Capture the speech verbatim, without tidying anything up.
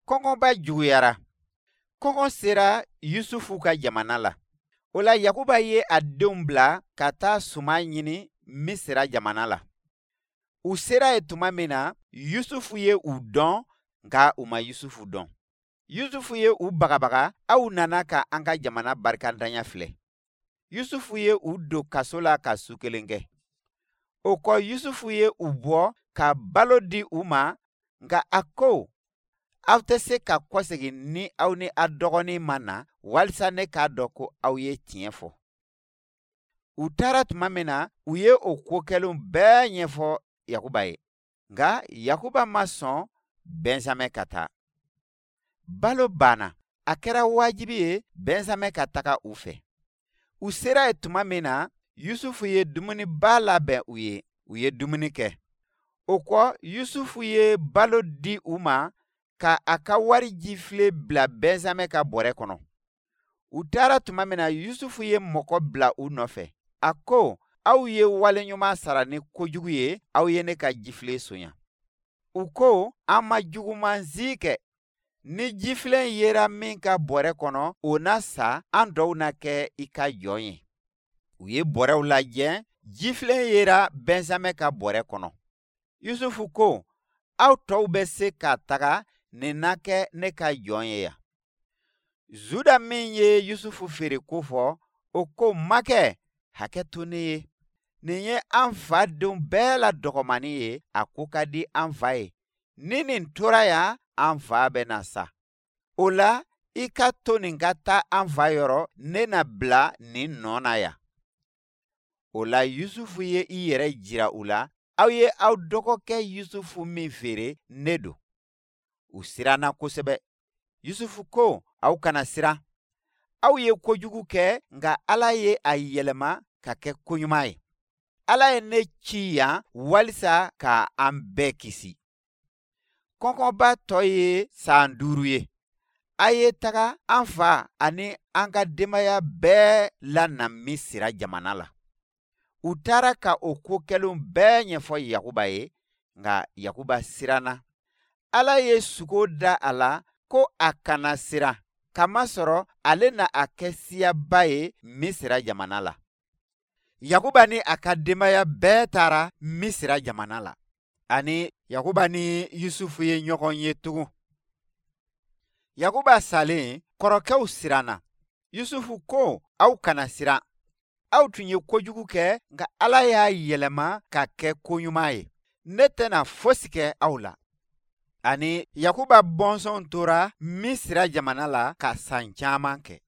Kɔngɔba juguyara. Kɔngɔ sera Yusufu ka jamana la. O la Yakuba ye a denw bila ka taa suman ɲini Misira jamana la. U sera yen tuma min na, Yusufu ye u dɔn, nka u ma Yusufu dɔn. Yusufu ye u bagabaga, aw nana ka an ka jamana barikantanya filɛ. Yusufu ye u don kaso la ka su kelen kɛ. O kɔ Yusufu ye u bɔ ka balo di u ma, nka a ko, aw tɛ se ka kɔsegin ni aw ni a dɔgɔnin ma na, walisa ne k'a dɔn ko aw ye tiɲɛ fɔ. U taara tuma min na, u ye o ko kɛlenw bɛɛ ɲɛfɔ Yakuba ye. Nka Yakuba ma sɔn Bɛnzamɛn ka taa. Balo banna, a kɛra wajibi ye Bɛnzamɛn ka taga u fɛ. U sera yen tuma min na, Yusufu ye dumuniba labɛn u ye, u ye dumuni kɛ. O kɔ, Yusufu ye balo di u ma ka a ka wari jifilen bila Bɛnzamɛn ka bɔrɛ kɔnɔ. U taara tuma min na, Yusufu ye mɔgɔ bila u nɔfɛ. A ko, aw ye waleɲuman sara ni kojugu ye, aw ye ne ka jifilen sonya. U ko, an ma juguman si kɛ. Ni jifilen yera min ka bɔrɛ kɔnɔ, o na sa, an dɔw na kɛ i ka jɔn ye. U ye bɔrɛw lajɛ, jifilen yera Bɛnzamɛn ka bɔrɛ kɔnɔ. Yusufu ko, aw tɔw bɛ se ka taga, nin na kɛ ne ka jɔn ye yan. Zuda min ye Yusufu feere ko fɔ, o ko, makɛ, hakɛ to ne ye. Nin ye an fa denw bɛɛ la dɔgɔmanni ye, a ko ka di an fa ye. Ni nin tora yan, an fa bɛna sa. O la, i ka to nin ka taa an fa yɔrɔ, ne na bila nin nɔ na yan. O la Yusufu ye i yɛrɛ jira u la, aw ye aw dɔgɔkɛ Yusufu min feere, ne don. U siranna kosɛbɛ. Yusufu ko, aw kana siran. Aw ye kojugu kɛ, nka Ala ye a yɛlɛma ka kɛ koɲuman ye. Ala ye ne ci yan walisa ka an bɛɛ kisi. Kɔngɔba tɔ ye san duuru ye. A ye taga an fa ani an ka denbaya bɛɛ lana Misira jamana la. U taara ka o ko kɛlenw bɛɛ ɲɛfɔ Yakuba ye, nka Yakuba siranna. Ala ye sugo da a la ko a kana siran, kamasɔrɔ ale na a kɛ siyaba ye Misira jamana la. Yakuba ni a ka denbaya bɛɛ taara Misira jamana la. Ani Yakuba ni Yusufu ye ɲɔgɔn ye tugun. Yakuba salen, kɔrɔkɛw siranna. Yusufu ko, aw kana siran. Aw tun ye kojugu kɛ, nka Ala y'a yɛlɛma ka kɛ koɲuman ye. Ne tɛna fosi kɛ aw la. Ani Yakuba bɔnsɔn tora Misira jamana la ka san caman kɛ.